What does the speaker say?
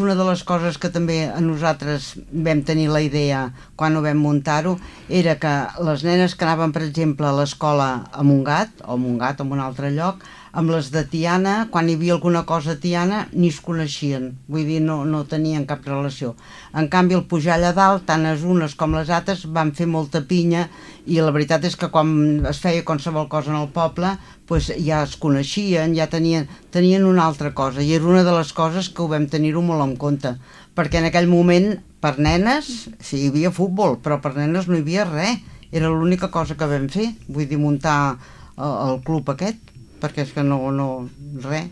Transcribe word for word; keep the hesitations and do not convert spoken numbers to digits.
Una de les coses que també a nosaltres vam tenir la idea quan ho vam muntar-ho era que les nenes que anaven, per exemple, a l'escola a Montgat, o a Montgat o en un altre lloc, amb les de Tiana, quan hi havia alguna cosa a Tiana, ni es coneixien, vull dir, no, no tenien cap relació. En canvi, al pujar allà dalt, tant les unes com les altres van fer molta pinya i la veritat és que quan es feia qualsevol cosa en el poble, pues ja es coneixien, ja tenien, tenien una altra cosa, i era una de les coses que ho vam tenir-ho molt en compte, perquè en aquell moment, per nenes, sí, hi havia futbol, però per nenes no hi havia res, era l'única cosa que vam fer, vull dir, muntar el, el club aquest, perquè és que no, no, res.